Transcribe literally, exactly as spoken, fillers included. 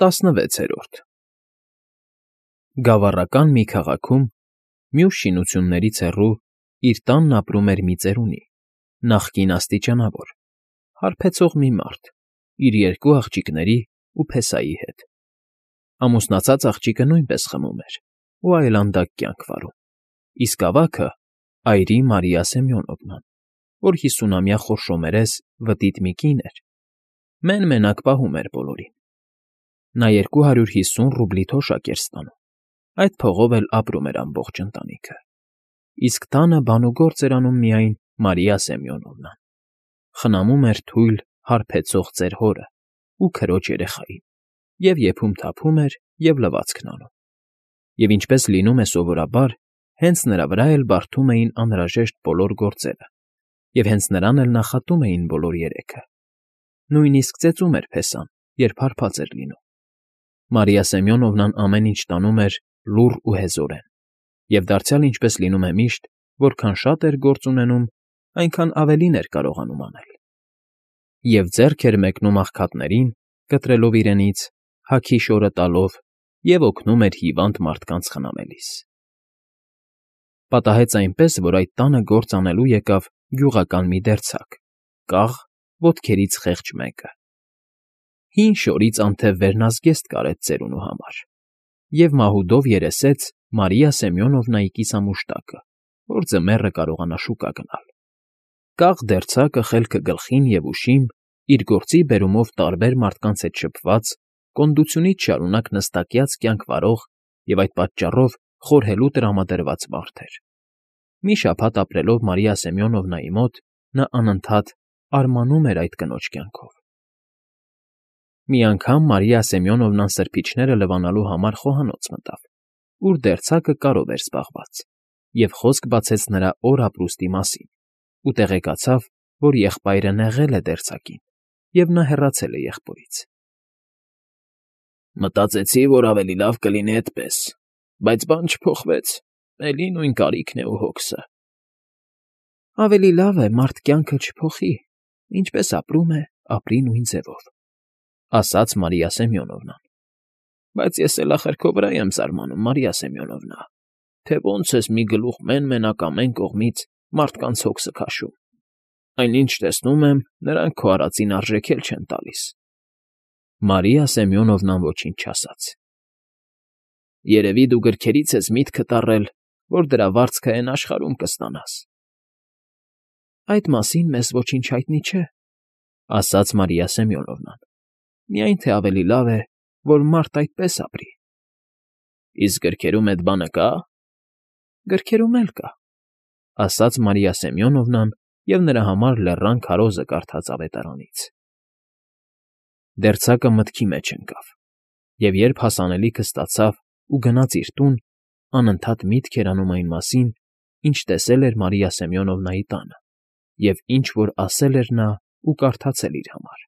ՏԱՍՆՎԵՑԵՐՈՐԴ Գավառական մի քաղաքում, մյուս շինություններից հեռու, իր տանն ապրում էր մի ծերունի, նախկին աստիճանավոր, հարբեցող մի մարդ իր երկու աղջիկների ու փեսայի հետ. ամուսնացած աղջիկը նույնպես խմում էր ու այլանդակ կյանք վարում, իսկ ավագը՝ այրի Մարիա Սեմյոնովնան, որ հիսունամյա խորշոմերես վտիտ մի կին էր, մեն֊մենակ պահում էր բոլորին. նա երկու հարյուր հիսուն ռուբլի թոշակ էր ստանում, այդ փողով էլ ապրում էր ամբողջ ընտանիքը, իսկ տանը բանուգործ էր անում միայն Մարիա Սեմյոնովնան, խնամում էր թույլ, հարբեցող ծեր հորն ու քրոջ երեխային և եփում֊թափում էր և լվացքն անում, և ինչպես լինում է սովորաբար, հենց նրա վրա էլ բարդում էին անհրաժեշտ բոլոր գործերը և հենց նրան էլ նախատում էին բոլոր երեքը, նույնիսկ ծեծում էր փեսան, երբ հարբած էր լինում. Մարիա Սեմյոնովնան ամեն ինչ տանում էր լուռ ու հեզորեն և դարձյալ ինչպես լինում է միշտ, որքան շատ էր գործ ունենում, այնքան ավելին էր կարողանում անել. և ձեռք էր մեկնում աղքատներին, կտրելով իրենից, հագի շորը տալով և օգնում էր հիվանդ մարդկանց խնամելիս. Պատահեց այնպես, որ այդ տանը գործ անելու եկավ գյուղական մի դերձակ, կաղ, ոտքերից խեղճ մեկը. հին շորից անթև վերնազգեստ կարեց ծերունու համար և մահուդով երեսեց Մարիա Սեմյոնովնայի կիսամուշտակը, որ ձմեռը կարողանա շուկա գնալ. կաղ դերձակը խելքը գլխին և ուշին, իր գործի բերումով տարբեր մարդկանց հետ շփված, կոնդությունից շարունակ նստակյաց կյանք վարող և այդ պատճառով խորհելու տրամադրված մարդ էր. մի շաբաթ ապրելով Մարիա Սեմյոնովնայի մոտ, նա անընդհատ արմանում էր այդ կնոջ կյանքով. Մի անգամ Մարիա Սեմյոնովնան սրբիչները լվանալու համար խոհանոց մտավ, ուր դերձակը կարով էր զբաղված, և խոսք բացեց նրա օր֊ապրուստի մասին ու տեղեկացավ, որ եղբայրը նեղել է դերձակին, և նա հեռացել է եղբորից. Մտածեցի, որ ավելի լավ կլինի այդպես, բայց բան չփոխվեց, էլի նույն կարիքն է ու հոգսը։ Ավելի լավ է մարդ կյանքը չփոխի, ինչպես ապրում է, ապրի նույն ձևով, ասաց Մարիա Սեմյոնովնան, բայց ես էլ ախր քո վրա եմ զարմանում, Մարիա Սեմյոնովնա, թե ոնց ես մի գլուխ մեն֊մենակ ամեն կողմից մարդկանց հոգսը քաշում, այնինչ տեսնում եմ, նրանք քո արածին արժեք էլ չեն տալիս։ Մարիա Սեմյոնովնան ոչինչ չասաց։ Երևի դու գրքերից ես միտքդ առել, որ դրա վարձքը էն աշխարհում կստանաս։ Այդ մասին մեզ ոչինչ հայտնի չէ, ասաց Մարիա Սեմյոնովնան, միայն թե ավելի լավ է, որ մարդ այդպես ապրի։ Իսկ գրքերում էդ բանը կա՞։ Գրքերում էլ կա, ասաց Մարիա Սեմյոնովնան և նրա համար լեռան քարոզը կարդաց ավետարանից։ Դերձակը մտքի մեջ ընկավ, և երբ հասանելիքը ստացավ ու գնաց իր տուն, անընդհատ միտք էր անում այն մասին, ինչ տեսել էր Մարիա Սեմյոնովնայի տանը և ինչ որ ասել էր նա ու կարդացել իր համար։